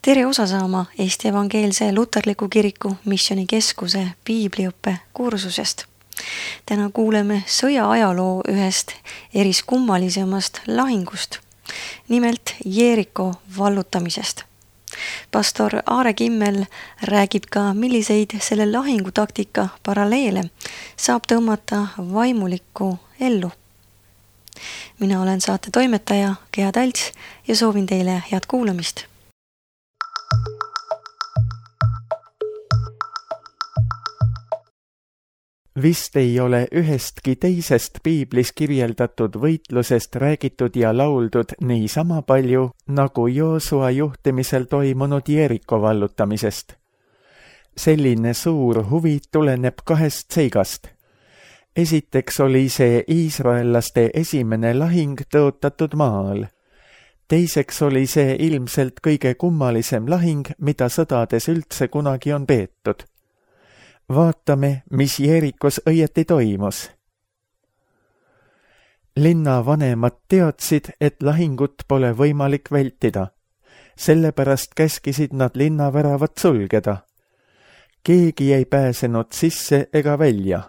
Tere osa saama Eesti Evangeelse Luterliku Kiriku Missioonikeskuse piibliõppe kursusest. Täna kuuleme sõja ajaloo ühest eriskummalisemast lahingust, nimelt Jeeriko vallutamisest. Pastor Aare Kimmel räägib ka, milliseid selle lahingutaktika paralleele saab tõmmata vaimulikku ellu. Mina olen saate toimetaja Gea Talts ja soovin teile head kuulamist. Vist ei ole ühestki teisest piiblis kirjeldatud võitlusest räägitud ja lauldud nii sama palju, nagu Joosua juhtimisel toimunud Jeeriko vallutamisest. Selline suur huvi tuleneb kahest seigast. Esiteks oli see iisraellaste esimene lahing tõotatud maal. Teiseks oli see ilmselt kõige kummalisem lahing, mida sõdades üldse kunagi on peetud. Vaatame, mis Jeerikos õieti toimus. Linna vanemad teadsid, et lahingut pole võimalik vältida. Sellepärast käskisid nad linnaväravad sulgeda. Keegi ei pääsenud sisse ega välja.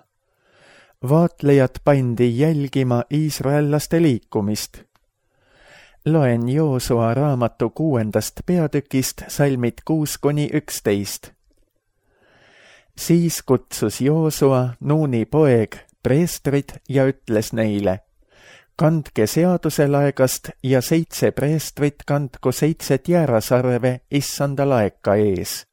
Vaatlejad pandi jälgima iisraellaste liikumist. Loen Joosua raamatu 6. peatükist salmid 6-11. Siis kutsus Joosua, Nuuni poeg, preestrid ja ütles neile: kandke seaduse laegast ja 7 preestrit kandku 7 jäärasarve issanda laeka ees.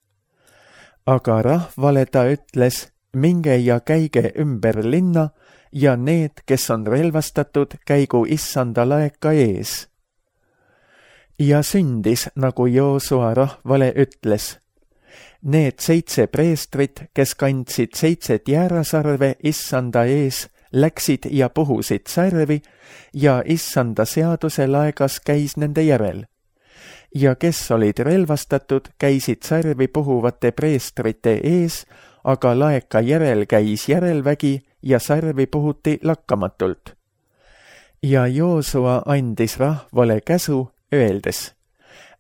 Aga rahvale ta ütles: minge ja käige ümber linna ja need, kes on relvastatud, käigu issanda laeka ees. Ja sündis, nagu Joosua rahvale ütles. Need 7 preestrit, kes kandsid 7 jäärasarve issanda ees, läksid ja puhusid sarvi ja issanda seaduse laegas käis nende järel. Ja kes olid relvastatud, käisid sarvi puhuvate preestrite ees, aga laeka järel käis järelvägi ja sarvi puhuti lakkamatult. Ja Joosua andis rahvale käsu, öeldes: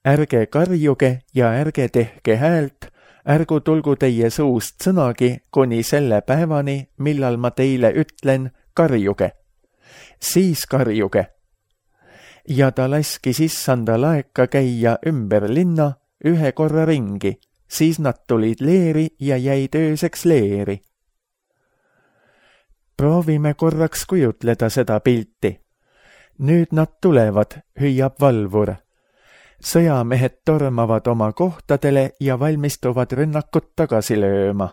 ärge karjuge ja ärge tehke häält, ärgu tulgu teie suust sõnagi kuni selle päevani, millal ma teile ütlen: karjuge. Siis karjuge. Ja ta laskis issanda laeka käia ümber linna 1 korra ringi, siis nad tulid leeri ja jäid ööseks leeri. Proovime korraks kujutleda seda pilti. Nüüd nad tulevad, hüüab valvur. Sõjamehed tormavad oma kohtadele ja valmistuvad rünnakut tagasi lööma.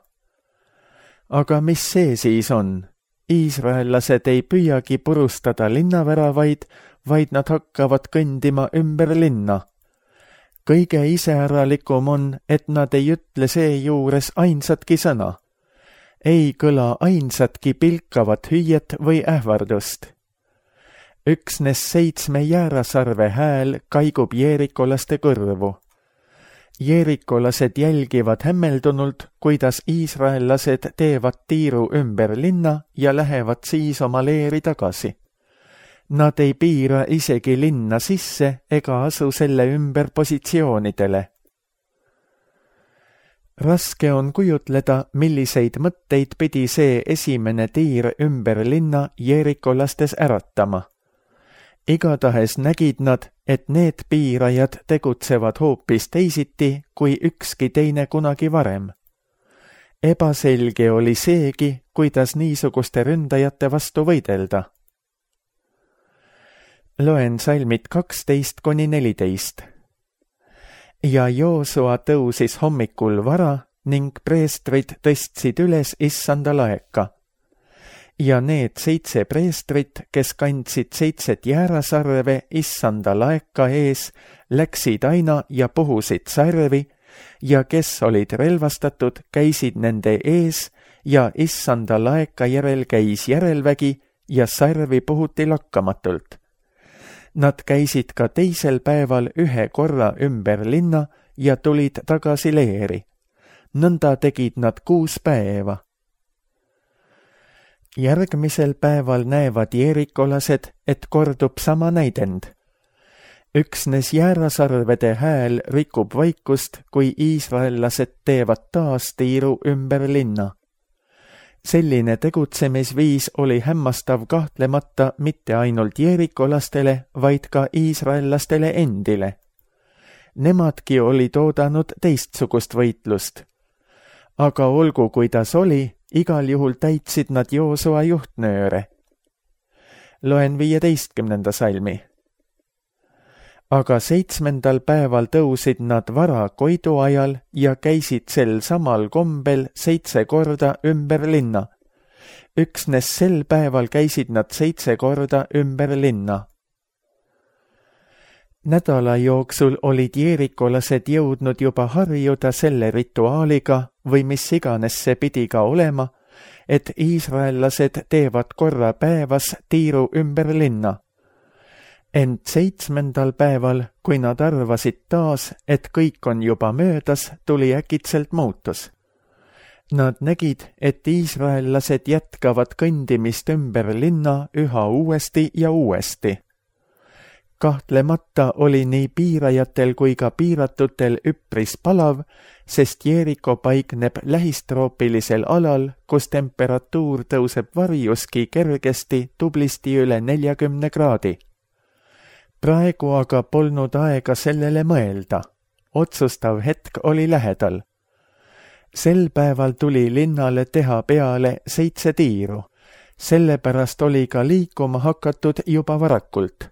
Aga mis see siis on? Iisraellased ei püüagi purustada linnaväravaid, vaid nad hakkavad kõndima ümber linna. Kõige iseäralikum on, et nad ei ütle seejuures ainsatki sõna. Ei kõla ainsatki pilkavat hüüet või ähvardust. Üksnes 7 jäärasarve hääl kaigub jeerikolaste kõrvu. Jeerikolased jälgivad hämmeldunult, kuidas iisraellased teevad tiiru ümber linna ja lähevad siis oma leeri tagasi. Nad ei piira isegi linna sisse ega asu selle ümber positsioonidele. Raske on kujutleda, milliseid mõtteid pidi see esimene tiir ümber linna jeerikolastes äratama. Igatahes nägid nad, et need piirajad tegutsevad hoopis teisiti kui ükski teine kunagi varem. Ebaselge oli seegi, kuidas niisuguste ründajate vastu võidelda. Loen salmid 12-14. Ja Joosua tõusis hommikul vara ning preestrid tõstsid üles issanda laeka. Ja need 7 preestrit, kes kandsid 7 jäärasarve issanda laeka ees, läksid aina ja puhusid sarvi, ja kes olid relvastatud, käisid nende ees, ja issanda laeka järel käis järelvägi ja sarvi puhuti lakkamatult. Nad käisid ka teisel päeval 1 korra ümber linna ja tulid tagasi leeri. Nõnda tegid nad 6 päeva. Järgmisel päeval näevad jeerikolased, et kordub sama näidend. Üksnes jäärasarvede hääl rikub vaikust, kui iisraellased teevad taas tiiru ümber linna. Selline tegutsemisviis oli hämmastav kahtlemata mitte ainult jeerikolastele, vaid ka iisraellastele endile. Nemadki olid oodanud teistsugust võitlust. Aga olgu, kuidas oli, igal juhul täitsid nad Joosua juhtnööre. Loen 15. salmi. Aga 7. päeval tõusid nad vara koidu ajal ja käisid sel samal kombel 7 korda ümber linna. Üksnes sel päeval käisid nad 7 korda ümber linna. Nädala jooksul olid jeerikolased jõudnud juba harjuda selle rituaaliga või mis iganes see pidi ka olema, et iisraellased teevad korra päevas tiiru ümber linna. Ent 7. päeval, kui nad arvasid taas, et kõik on juba möödas, tuli äkitselt muutus. Nad nägid, et iisraellased jätkavad kõndimist ümber linna üha uuesti ja uuesti. Kahtlemata oli nii piirajatel kui ka piiratutel üpris palav, sest Jeeriko paikneb lähistroopilisel alal, kus temperatuur tõuseb varjuski kergesti tublisti üle 40 kraadi. Praegu aga polnud aega sellele mõelda. Otsustav hetk oli lähedal. Sel päeval tuli linnale teha peale 7 tiiru. Sellepärast oli ka liikuma hakatud juba varakult.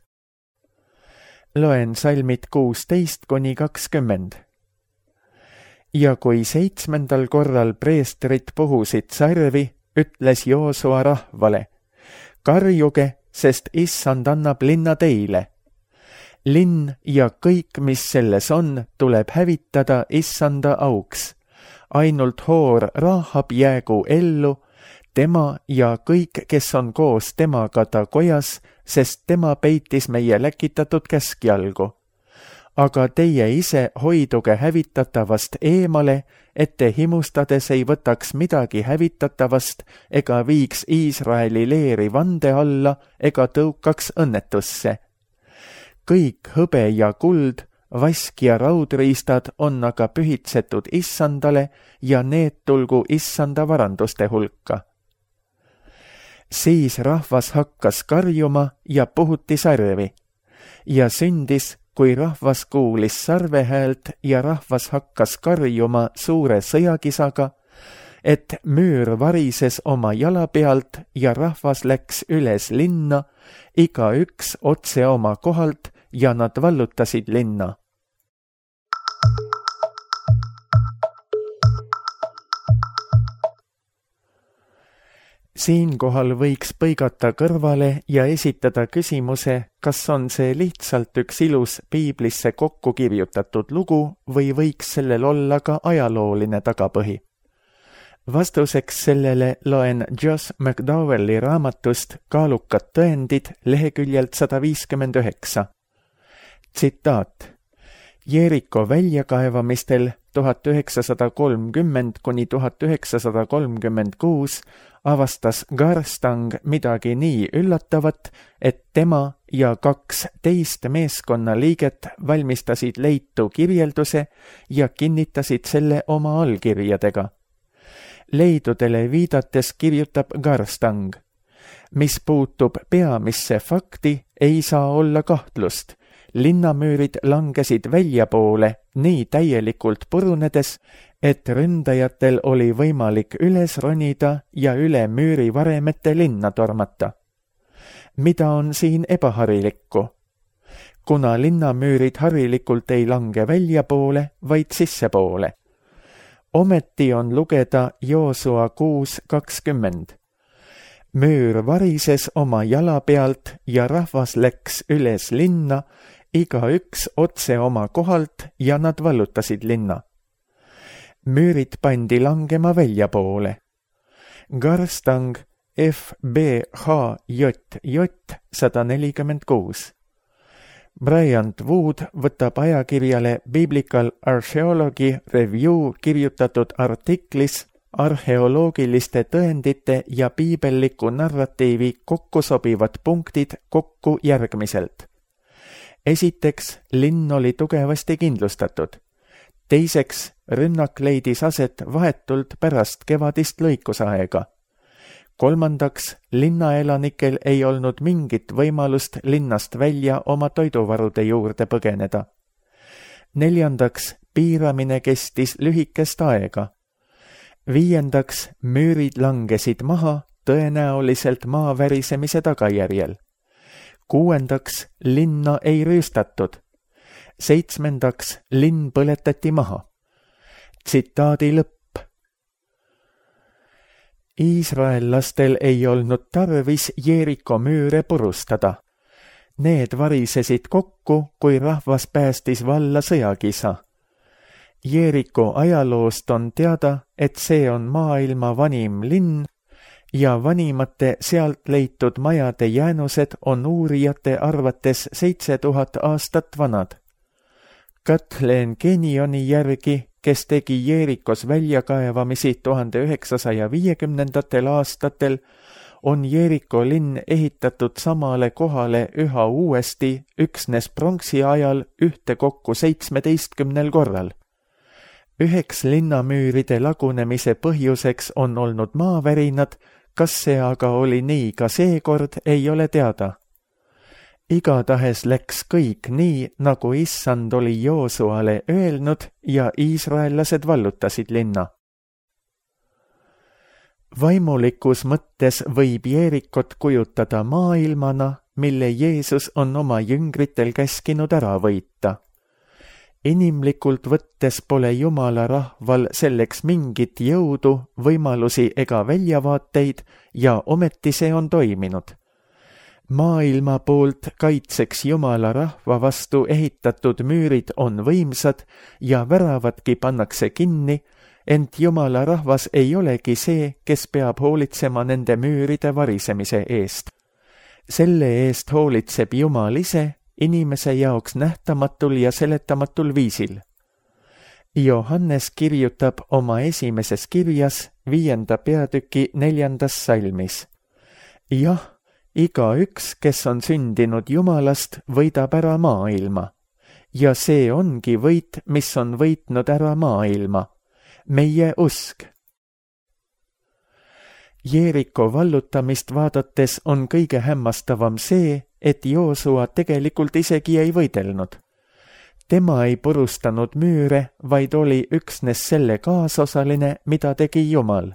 Loen salmid 16–20. Ja kui 7. korral preestrid puhusid sarvi, ütles Joosua rahvale: karjuge, sest issand annab linna teile. Linn ja kõik, mis selles on, tuleb hävitada issanda auks. Ainult hoor Rahab jäägu ellu, tema ja kõik, kes on koos temaga ta kojas, sest tema peitis meie läkitatud käskjalgu. Aga teie ise hoiduge hävitatavast eemale, et te himustades ei võtaks midagi hävitatavast ega viiks Iisraeli leeri vande alla ega tõukaks õnnetusse. Kõik hõbe ja kuld, vask ja raudriistad on aga pühitsetud issandale ja need tulgu issanda varanduste hulka. Siis rahvas hakkas karjuma ja puhuti sarvi. Ja sündis, kui rahvas kuulis sarve häält ja rahvas hakkas karjuma suure sõjakisaga, et müür varises oma jala pealt ja rahvas läks üles linna, igaüks otse oma kohalt ja nad vallutasid linna. Siinkohal võiks põigata kõrvale ja esitada küsimuse, kas on see lihtsalt üks ilus piiblisse kokku kirjutatud lugu või võiks sellel olla ka ajalooline tagapõhi. Vastuseks sellele loen Josh McDowelli raamatust Kaalukad tõendid leheküljelt 159. Tsitaat. Jeeriko väljakaevamistel 1930–1936 avastas Garstang midagi nii üllatavat, et tema ja 2 teist meeskonnaliiget valmistasid leitu kirjelduse ja kinnitasid selle oma allkirjadega. Leidudele viidates kirjutab Garstang. Mis puutub peamisse fakti, ei saa olla kahtlust. Linnamüürid langesid väljapoole nii täielikult purunedes, et ründajatel oli võimalik üles ronida ja üle müüri varemete linna tormata. Mida on siin ebaharilikku? Kuna linnamüürid harilikult ei lange väljapoole, vaid sissepoole. Ometi on lugeda Joosua 6:20. Müür varises oma jala pealt ja rahvas läks üles linna, igaüks otse oma kohalt ja nad vallutasid linna. Müürid pandi langema väljapoole. Garstang FBHJJ 146. Bryant Wood võtab ajakirjale Biblical Archaeology Review kirjutatud artiklis arheoloogiliste tõendite ja piibelliku narratiivi kokku sobivad punktid kokku järgmiselt. Esiteks, linn oli tugevasti kindlustatud. Teiseks, rünnak leidis aset vahetult pärast kevadist lõikusaega. Kolmandaks, linnaelanikel ei olnud mingit võimalust linnast välja oma toiduvarude juurde põgeneda. Neljandaks, piiramine kestis lühikest aega. Viiendaks, müürid langesid maha tõenäoliselt maa värisemise tagajärjel. Kuuendaks, linna ei rüüstatud. Seitsmendaks, linn põletati maha. Tsitaadi lõpp. Iisraellastel ei olnud tarvis Jeeriko müüre purustada. Need varisesid kokku, kui rahvas päästis valla sõjakisa. Jeeriko ajaloost on teada, et see on maailma vanim linn ja vanimate sealt leitud majade jäänused on uurijate arvates 7000 aastat vanad. Kathleen Kenyoni järgi, kes tegi Jeerikos väljakaevamisi 1950. aastatel, on Jeeriko linn ehitatud samale kohale üha uuesti üksnes pronksi ajal ühtekokku 17 korral. Üheks linnamüüride lagunemise põhjuseks on olnud maavärinad, kas see aga oli nii ka seekord, ei ole teada. Igatahes läks kõik nii, nagu issand oli Joosuale öelnud ja iisraellased vallutasid linna. Vaimulikus mõttes võib Jeerikot kujutada maailmana, mille Jeesus on oma jüngritel käskinud ära võita. Inimlikult võttes pole Jumala rahval selleks mingit jõudu, võimalusi ega väljavaateid ja ometi see on toiminud. Maailma poolt kaitseks Jumala rahva vastu ehitatud müürid on võimsad ja väravadki pannakse kinni, ent Jumala rahvas ei olegi see, kes peab hoolitsema nende müüride varisemise eest. Selle eest hoolitseb Jumal ise, inimese jaoks nähtamatul ja seletamatul viisil. Johannes kirjutab oma esimeses kirjas 5. peatüki 4. salmis. Jah, igaüks, kes on sündinud Jumalast, võidab ära maailma. Ja see ongi võit, mis on võitnud ära maailma. Meie usk. Jeeriko vallutamist vaadates on kõige hämmastavam see, et Joosua tegelikult isegi ei võidelnud. Tema ei purustanud müüre, vaid oli üksnes selle kaasosaline, mida tegi Jumal.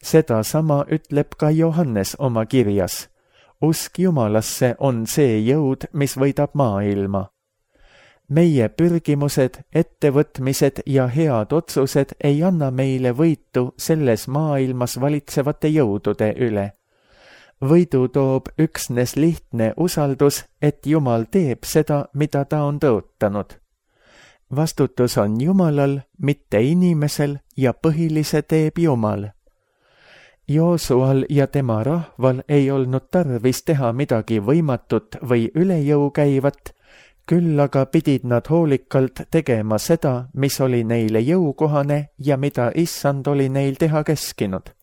Seda sama ütleb ka Johannes oma kirjas. Usk Jumalasse on see jõud, mis võidab maailma. Meie pürgimused, ettevõtmised ja head otsused ei anna meile võitu selles maailmas valitsevate jõudude üle. Võidu toob üksnes lihtne usaldus, et Jumal teeb seda, mida ta on tõotanud. Vastutus on Jumalal, mitte inimesel ja põhilise teeb Jumal. Joosual ja tema rahval ei olnud tarvis teha midagi võimatut või üle jõu käivat, küll aga pidid nad hoolikalt tegema seda, mis oli neile jõukohane ja mida issand oli neil teha käskinud.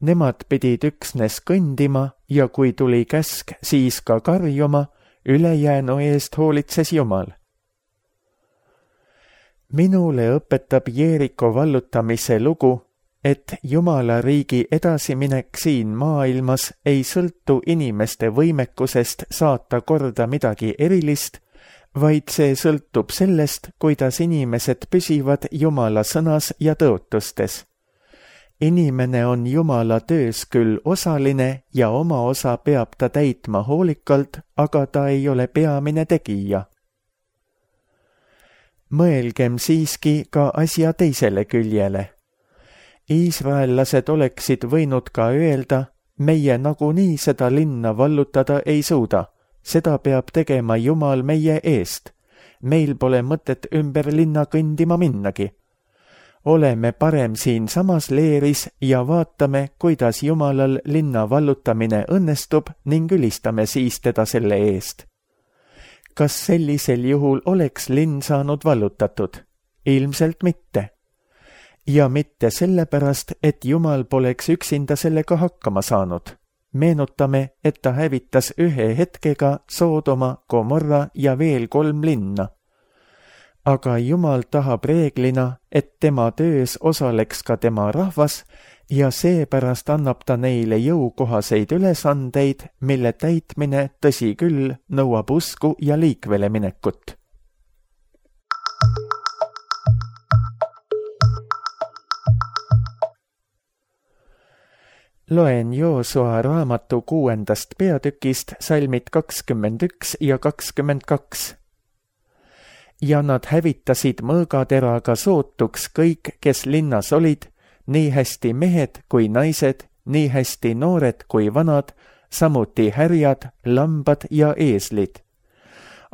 Nemad pidid üksnes kõndima ja kui tuli käsk, siis ka karjuma, ülejäänu eest hoolitses Jumal. Minule õpetab Jeeriko vallutamise lugu, et Jumala riigi edasiminek siin maailmas ei sõltu inimeste võimekusest saata korda midagi erilist, vaid see sõltub sellest, kuidas inimesed püsivad Jumala sõnas ja tõotustes. Inimene on Jumala töös küll osaline ja oma osa peab ta täitma hoolikalt, aga ta ei ole peamine tegija. Mõelgem siiski ka asja teisele küljele. Iisraellased oleksid võinud ka öelda, meie nagunii seda linna vallutada ei suuda, seda peab tegema Jumal meie eest. Meil pole mõtet ümber linna kõndima minnagi. Oleme parem siin samas leeris ja vaatame, kuidas Jumalal linna vallutamine õnnestub ning ülistame siis teda selle eest. Kas sellisel juhul oleks linn saanud vallutatud? Ilmselt mitte. Ja mitte sellepärast, et Jumal poleks üksinda sellega hakkama saanud. meenutame, et ta hävitas ühe hetkega Soodoma, Gomorra ja veel 3 linna. Aga Jumal tahab reeglina, et tema töös osaleks ka tema rahvas ja seepärast annab ta neile jõukohaseid ülesandeid, mille täitmine, tõsi küll, nõuab usku ja liikvele minekut. Loen Joosua raamatu 6. peatükist salmid 21 ja 22. Ja nad hävitasid mõõgateraga sootuks kõik, kes linnas olid, nii hästi mehed kui naised, nii hästi noored kui vanad, samuti härjad, lambad ja eeslid.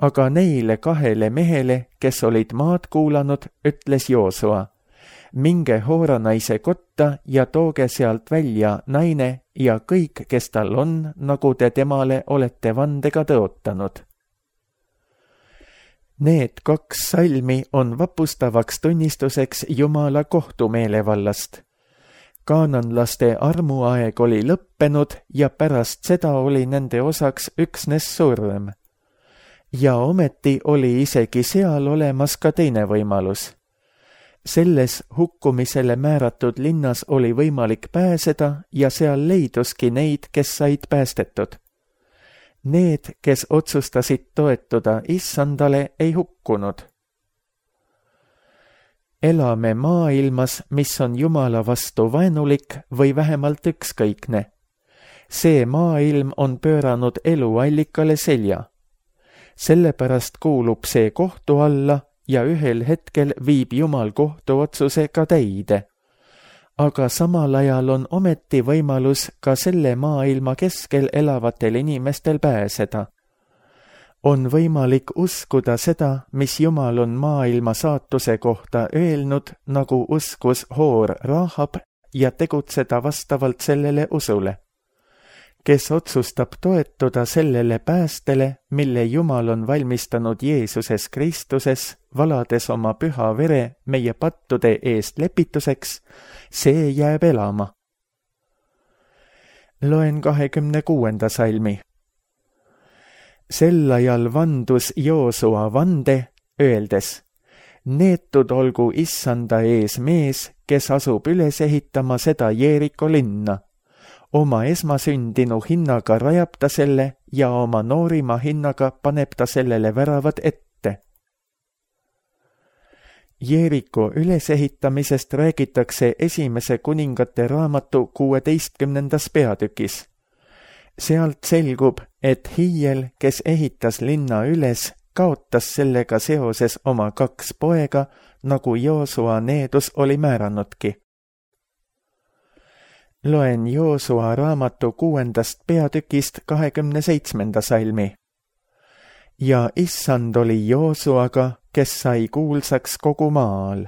Aga neile 2 mehele, kes olid maad kuulanud, ütles Joosua: minge Hooranaise kotta ja tooge sealt välja naine ja kõik, kes tal on, nagu te temale olete vandega tõotanud. Need 2 salmi on vapustavaks tunnistuseks Jumala kohtumeelevallast. Kaananlaste armuaeg oli lõppenud ja pärast seda oli nende osaks üksnes surm. Ja ometi oli isegi seal olemas ka teine võimalus. Selles hukkumisele määratud linnas oli võimalik pääseda ja seal leiduski neid, kes said päästetud. Need, kes otsustasid toetuda Issandale, ei hukkunud. Elame maailmas, mis on Jumala vastu vaenulik või vähemalt ükskõikne. See maailm on pööranud eluallikale selja. Sellepärast kuulub see kohtu alla ja ühel hetkel viib Jumal kohtuotsuse ka täide. Aga samal ajal on ometi võimalus ka selle maailma keskel elavatel inimestel pääseda. On võimalik uskuda seda, mis Jumal on maailma saatuse kohta öelnud, nagu uskus Hoor Rahab, ja tegutseda vastavalt sellele usule. Kes otsustab toetuda sellele päästele, mille Jumal on valmistanud Jeesuses Kristuses, valades oma püha vere meie pattude eest lepituseks, see jääb elama. Loen 26. salmi. Sel ajal vandus Joosua vande, öeldes: neetud olgu Issanda ees mees, kes asub üles ehitama seda Jeeriko linna. Oma esmasündinu hinnaga rajab ta selle ja oma noorima hinnaga paneb ta sellele väravad ette. Jeeriko ülesehitamisest räägitakse Esimese kuningate raamatu 16. peatükis. Sealt selgub, et Hiiel, kes ehitas linna üles, kaotas sellega seoses oma 2 poega, nagu Joosua needus oli määranudki. Loen Joosua raamatu 6. peatükist 27. salmi. Ja Issand oli Joosuaga, kes sai kuulsaks kogu maal.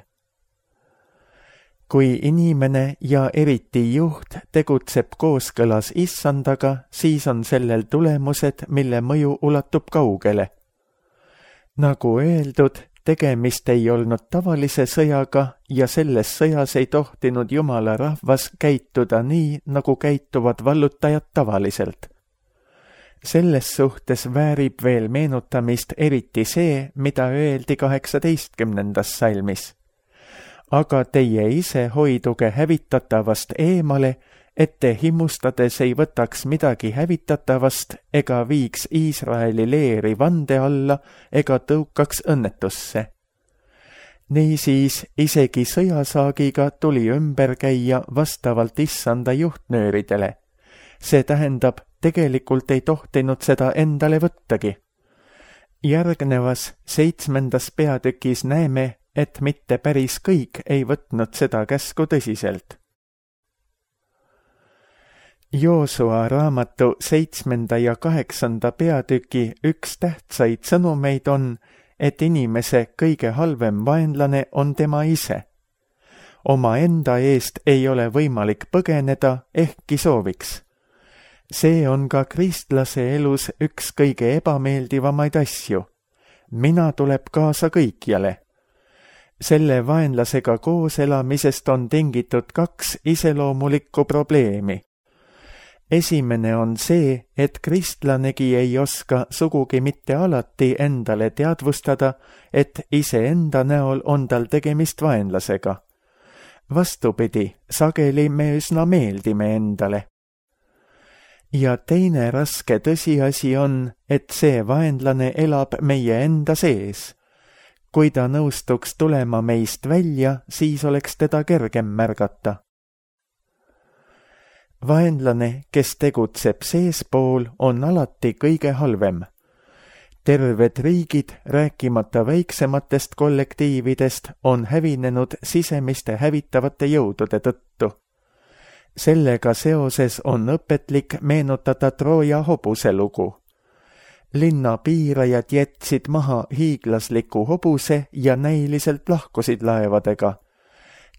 Kui inimene ja eriti juht tegutseb kooskõlas Issandaga, siis on sellel tulemused, mille mõju ulatub kaugele. Nagu öeldud, tegemist ei olnud tavalise sõjaga ja selles sõjas ei tohtinud Jumala rahvas käituda nii, nagu käituvad vallutajad tavaliselt. Selles suhtes väärib veel meenutamist eriti see, mida öeldi 18. salmis. Aga teie ise hoiduge hävitatavast eemale, et te himmustades ei võtaks midagi hävitatavast ega viiks Iisraeli leeri vande alla ega tõukaks õnnetusse. Niisiis isegi sõjasaagiga tuli ümber käia vastavalt Issanda juhtnööridele. See tähendab, tegelikult ei tohtinud seda endale võttagi. Järgnevas 7. peatükis näeme, et mitte päris kõik ei võtnud seda käsku tõsiselt. Joosua raamatu 7. ja 8. peatüki üks tähtsaid sõnumeid on, et inimese kõige halvem vaenlane on tema ise. Oma enda eest ei ole võimalik põgeneda, ehkki sooviks. See on ka kristlase elus üks kõige ebameeldivamaid asju. Mina tuleb kaasa kõikjale. Selle vaenlasega koos elamisest on tingitud 2 iseloomulikku probleemi. Esimene on see, et kristlanegi ei oska sugugi mitte alati endale teadvustada, et iseenda näol on tal tegemist vaenlasega. Vastupidi, sageli me üsna meeldime endale. Ja teine raske tõsiasi on, et see vaenlane elab meie enda sees. Kui ta nõustuks tulema meist välja, siis oleks teda kergem märgata. Vaenlane, kes tegutseb seespool, on alati kõige halvem. Terved riigid, rääkimata väiksematest kollektiividest, on hävinenud sisemiste hävitavate jõudude tõttu. Sellega seoses on õpetlik meenutada Trooja hobuse lugu. Linna piirajad jätsid maha hiiglasliku hobuse ja näiliselt lahkusid laevadega.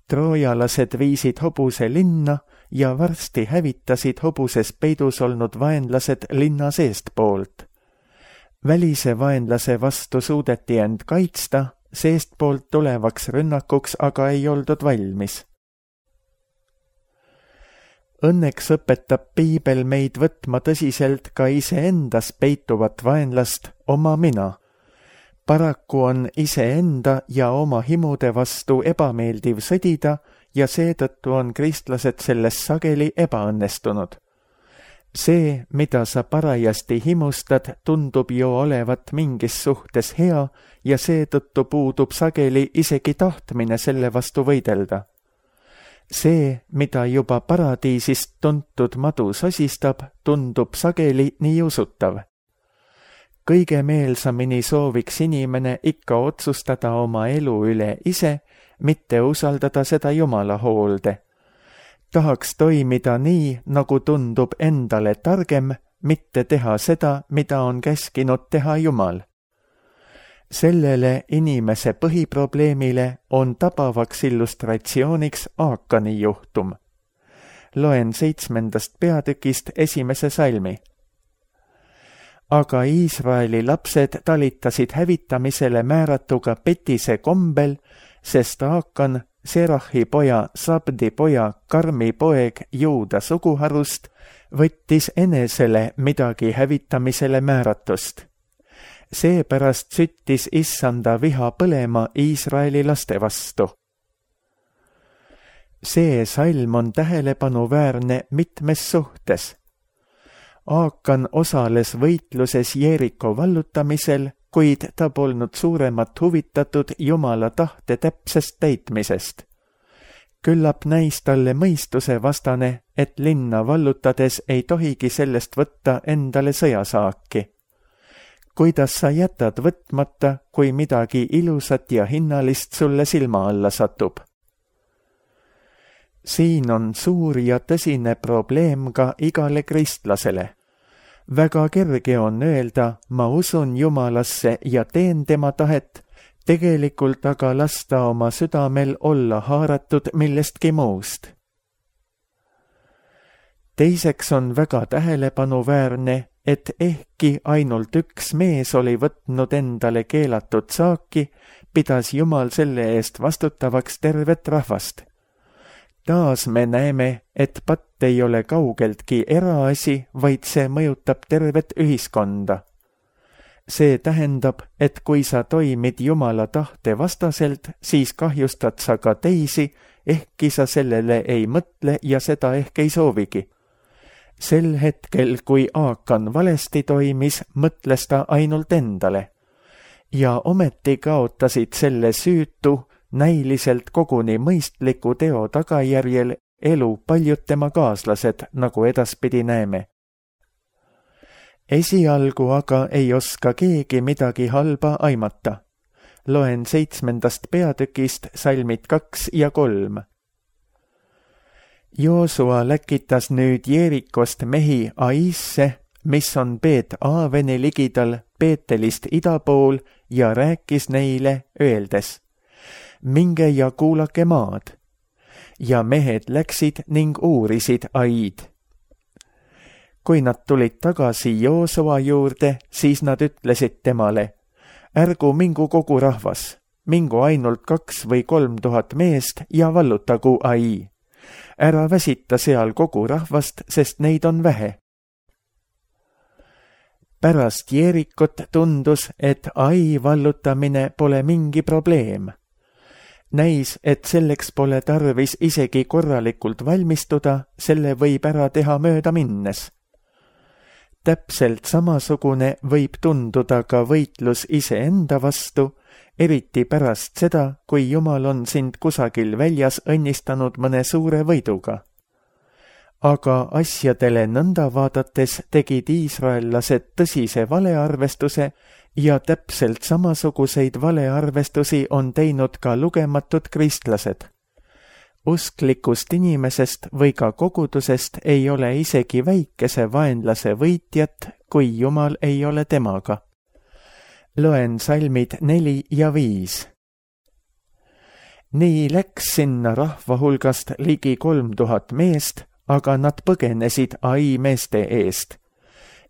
Troojalased viisid hobuse linna ja varsti hävitasid hobuses peidus olnud vaenlased linna seestpoolt. Välise vaenlase vastu suudeti end kaitsta, seestpoolt tulevaks rünnakuks aga ei oldud valmis. Õnneks õpetab piibel meid võtma tõsiselt ka iseendas peituvat vaenlast, oma mina. Paraku on iseenda ja oma himude vastu ebameeldiv sõdida ja seetõttu on kristlased selles sageli ebaõnnestunud. See, mida sa parajasti himustad, tundub ju olevat mingis suhtes hea ja seetõttu puudub sageli isegi tahtmine selle vastu võidelda. See, mida juba paradiisist tuntud madu sosistab, tundub sageli nii usutav. Kõige meelsamini sooviks inimene ikka otsustada oma elu üle ise, mitte usaldada seda Jumala hoolde. Tahaks toimida nii, nagu tundub endale targem, mitte teha seda, mida on käskinud teha Jumal. Sellele inimese põhiprobleemile on tabavaks illustratsiooniks Aakani juhtum. Loen 7. peatükist 1. salmi. Aga Iisraeli lapsed talitasid hävitamisele määratuga petise kombel, sest Aakan, Serahi poja, Sabdi poja, Karmi poeg Juuda suguharust, võttis enesele midagi hävitamisele määratust. Seepärast süttis issanda viha põlema Iisraeli laste vastu. See salm on tähelepanuväärne mitmes suhtes. Aakan osales võitluses Jeeriko vallutamisel, kuid ta polnud suuremat huvitatud Jumala tahte täpsest täitmisest. Küllap näis talle mõistuse vastane, et linna vallutades ei tohigi sellest võtta endale sõjasaaki. Kuidas sa jätad võtmata, kui midagi ilusat ja hinnalist sulle silma alla satub? Siin on suur ja tõsine probleem ka igale kristlasele. Väga kerge on öelda, ma usun Jumalasse ja teen tema tahet, tegelikult aga lasta oma südamel olla haaratud millestki muust. Teiseks on väga tähelepanuväärne, et ehkki ainult üks mees oli võtnud endale keelatud saaki, pidas Jumal selle eest vastutavaks tervet rahvast. Taas me näeme, et patt ei ole kaugeltki eraasi, vaid see mõjutab tervet ühiskonda. See tähendab, et kui sa toimid Jumala tahte vastaselt, siis kahjustad sa ka teisi, ehkki sa sellele ei mõtle ja seda ehk ei soovigi. Sel hetkel, kui Aakan valesti toimis, mõtles ta ainult endale. Ja ometi kaotasid selle süütu, näiliselt koguni mõistliku teo tagajärjel elu paljud tema kaaslased, nagu edaspidi näeme. Esialgu aga ei oska keegi midagi halba aimata. Loen 7. peatükist salmid 2 ja 3. Joosua läkitas nüüd Jeerikost mehi Aisse, mis on Beet-Aaveni ligidal Beetelist ida pool, ja rääkis neile, öeldes: minge ja kuulake maad. Ja mehed läksid ning uurisid Aid. Kui nad tulid tagasi Joosua juurde, siis nad ütlesid temale: ärgu mingu kogu rahvas, mingu ainult 2 või 3 tuhat meest ja vallutagu Ai. ära väsita seal kogu rahvast, sest neid on vähe. Pärast Jeerikot tundus, et Ai vallutamine pole mingi probleem. Näis, et selleks pole tarvis isegi korralikult valmistuda, selle võib ära teha mööda minnes. Täpselt samasugune võib tunduda ka võitlus iseenda vastu, eriti pärast seda, kui Jumal on sind kusagil väljas õnnistanud mõne suure võiduga. Aga asjadele nõnda vaadates tegid iisraellased tõsise valearvestuse ja täpselt samasuguseid valearvestusi on teinud ka lugematud kristlased. Usklikust inimesest või ka kogudusest ei ole isegi väikese vaenlase võitjat, kui Jumal ei ole temaga. Loen salmid 4 ja 5. Nii läks sinna rahva hulgast ligi 3000 meest, aga nad põgenesid Ai meeste eest.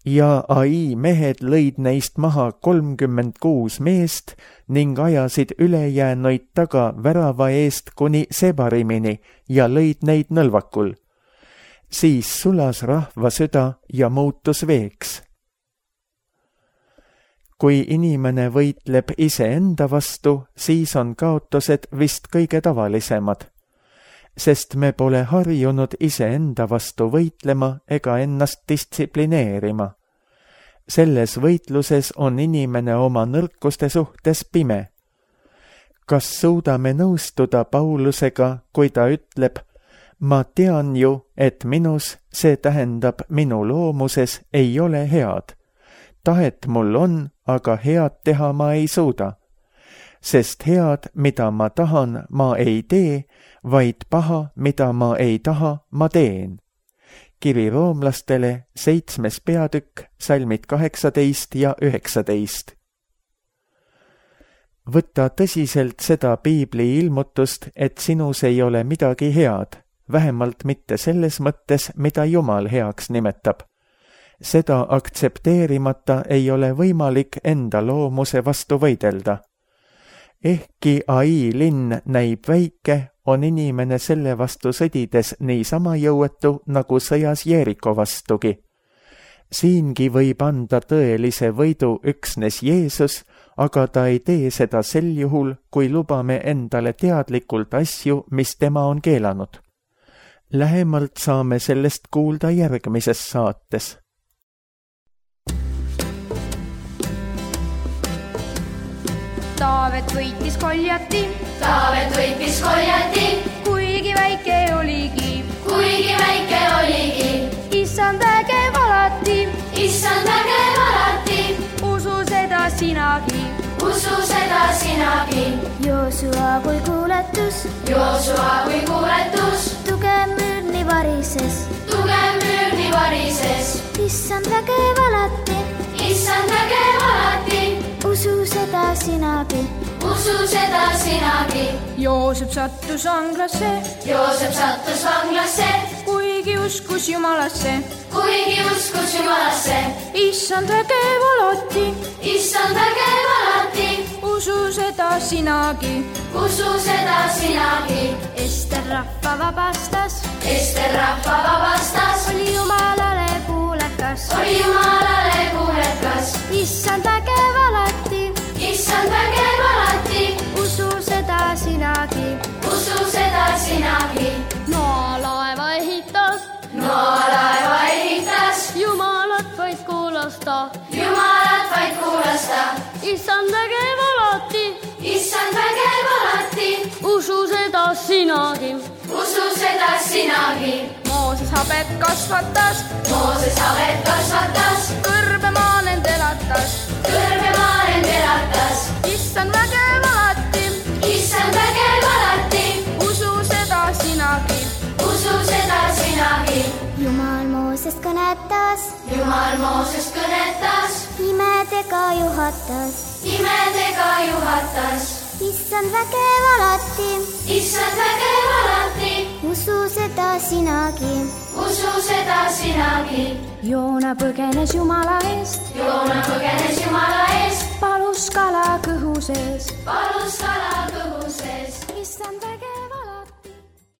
Ja Ai mehed lõid neist maha 36 meest ning ajasid ülejäänuid taga värava eest kuni Sebarimini ja lõid neid nõlvakul. Siis sulas rahva süda ja muutus veeks. Kui inimene võitleb iseenda vastu, siis on kaotused vist kõige tavalisemad, sest me pole harjunud iseenda vastu võitlema ega ennast distsiplineerima. Selles võitluses on inimene oma nõrkuste suhtes pime. Kas suudame nõustuda Paulusega, kui ta ütleb, ma tean ju, et minus, see tähendab minu loomuses, ei ole head. Tahet mul on, aga head teha ma ei suuda. Sest head, mida ma tahan, ma ei tee, vaid paha, mida ma ei taha, ma teen. Kiri roomlastele 7. peatükk, salmid 18 ja 19. Võta tõsiselt seda piibli ilmutust, et sinus ei ole midagi head, vähemalt mitte selles mõttes, mida Jumal heaks nimetab. Seda aktsepteerimata ei ole võimalik enda loomuse vastu võidelda. Ehkki Ai linn näib väike, on inimene selle vastu sõdides niisama jõuetu nagu sõjas Jeeriko vastugi. Siingi võib anda tõelise võidu üksnes Jeesus, aga ta ei tee seda sel juhul, kui lubame endale teadlikult asju, mis tema on keelanud. Lähemalt saame sellest kuulda järgmises saates. Taavet võitis Goljati, kuigi väike oligi, issand vägev alati, usu seda sinagi. Joosua kui kuuletus, tugev müürni varises, issand vägev alati, usu seda sinagi. Joosep sattus vanglasse, kuigi uskus Jumalasse, issand vägev alati, usu seda sinagi. Ester rahva vabastas, oli Jumalale kuulekas, issand vägev alati, usu seda sinagi. Noa laeva ehitas, Jumalat vaid kuulasta, issand vägev alati, usu seda sinagi. Mooses habet kasvatas, kõrbemaa nend elatas, issand vägev alati, usu seda sinagi. Jumal Moosest kõnetas, imedega juhatas, issand vägev alati, usu seda sinagi. Joona põgenes Jumala eest, palus kala kõhu sees.